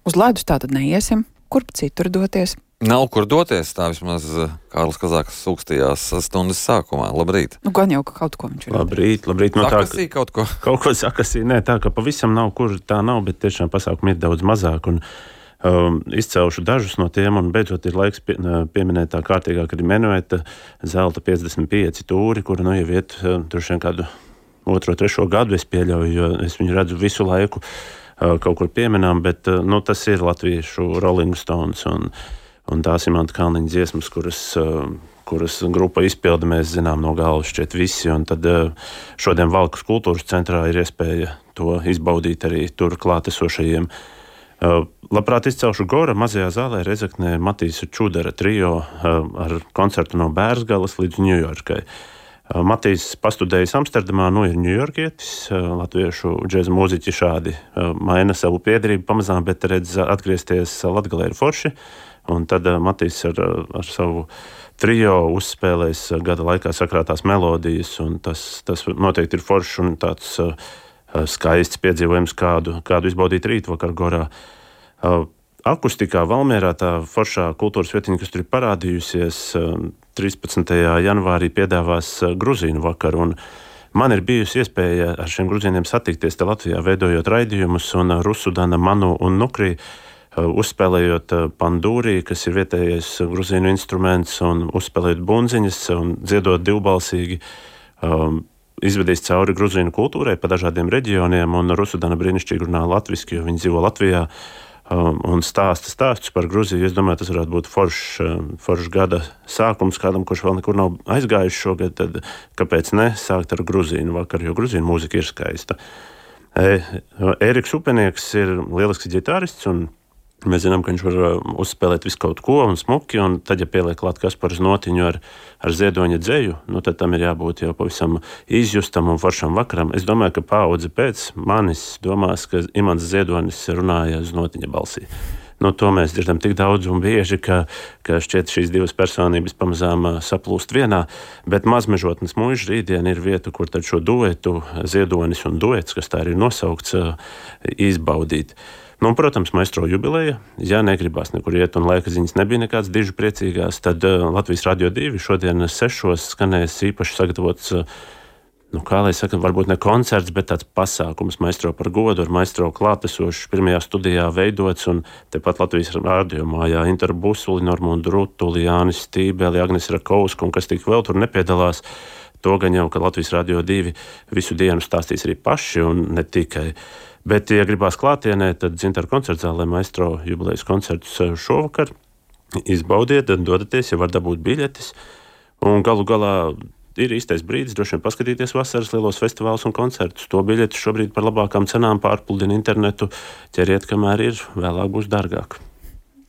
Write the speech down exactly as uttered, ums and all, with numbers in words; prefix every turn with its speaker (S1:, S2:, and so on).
S1: Uz ledus tātad neiesim, kur citur doties?
S2: Nav kur doties, tā vismaz Kārlis Kazāks sūkstījās stundas sākumā. Labrīt.
S1: Nu, gan jau, ka kaut ko viņš ir.
S3: Labrīt, labrīt. No
S2: sakasī tā, kaut ko.
S3: Kaut ko sakasī, nē, tā, ka pavisam nav, kur tā nav, bet tiešām pasākumi ir daudz mazāk. Un, um, izcelšu dažus no tiem, un beidzot ir laiks pie, pieminēt tā kārtīgāk arī menueta zelta piecdesmit pieci tūri, kura nu jau iet droši vien kādu otro, trešo gadu, es pieļauju, jo es viņu redzu visu laiku uh, kaut kur pieminām, bet uh, nu, tas ir latviešu Rolling Stones un Un tās ir Imanta Kalniņa dziesmas, kuras, kuras grupa izpilda, mēs zinām no galvas šķiet visi. Un tad šodien Valkas kultūras centrā ir iespēja to izbaudīt arī tur klātesošajiem. Labprāt izcelšu Gora mazajā zālē Rezeknē Matīsa Čudara trio ar koncertu no Bērzgalas līdz Ņujorkai. Matīs pastudējis Amsterdamā, nu ir ņujorkietis, latviešu džēza mūziķi šādi maina savu piederību pamazām, bet redz atgriezties Latgalē ir forši. Un tad Matīs ar, ar savu trio uzspēlēs gada laikā sakrātās melodijas, un tas, tas noteikti ir foršs un tāds uh, skaists piedzīvojums, kādu, kādu izbaudīt rītvakar Gorā. Uh, akustikā Valmierā tā foršā kultūras vietiņa, kas tur ir parādījusies, uh, trīspadsmitajā janvārī piedāvās uh, gruzīnu vakaru, un man ir bijusi iespēja ar šiem gruzīniem satikties te Latvijā, veidojot raidījumus, un uh, Rusudana, Manu un Nukri, uzspēlējot pandūrī, kas ir vietējais gruzīnu instruments, un uzspēlējot bunziņas un dziedot divbalsīgi, um, izvedīs cauri gruzīnu kultūrai pa dažādiem reģioniem, un Rusudana brīnišķīgi runā latviski, jo viņi dzīvo Latvijā, um, un stāsta stāstus par Gruziju. Es domāju, tas varētu būt foršs, foršs gada sākums kādam, kurš vēl nekur nav aizgājis šogad, tad kāpēc ne sākt ar gruzīnu vakaru, jo gruzīnu mūzika ir skaista. E, Ēriks Upenieks ir lielisks ģitārists, un mēs zinām, ka viņš var uzspēlēt visu kaut ko un smuki, un tad, ja pieliek klāt Kasparu Notiņu ar, ar ziedoņa dzeju, nu tad tam ir jābūt jau pavisam izjustam un foršam vakaram. Es domāju, ka paudze pēc manis domās, ka Imants Ziedonis runāja uz Notiņa balsī. Nu, to mēs dzirdam tik daudz un bieži, ka, ka šķiet šīs divas personības pamazām saplūst vienā, bet Mazmežotnes muiža rītdien ir vieta, kur tad šo duetu, Ziedonis un duets, kas tā ir nosaukts, izbaudīt. Nu, protams, maestro jubileja, ja negribās nekur iet un laika ziņas nebija nekāds dižu priecīgās, tad uh, Latvijas Radio divi šodien sešos skanēs īpaši sagatavots, uh, nu, kā lai saka, varbūt ne koncerts, bet tāds pasākums maestro par godu ar maestro klātesošs pirmajā studijā veidots, un tepat Latvijas Radio mājā Interu Busuli, Normundu Rutuli, Jānis Stībeli, Agnes Rakovska un kas tik vēl tur nepiedalās. To gan jau, ka Latvijas Radio divi visu dienu stāstīs arī paši un ne tikai. Bet, ja gribās klātienē, tad Dzintaru koncertzālē maestro jubilejas koncertus šovakar izbaudiet, dodaties, ja var dabūt biļetes. Un galu galā ir īstais brīdis droši vien paskatīties vasaras lielos festivālus un koncertus. To biļetes šobrīd par labākām cenām pārpludina internetu. Ķeriet, kamēr ir, vēlāk būs dārgāk.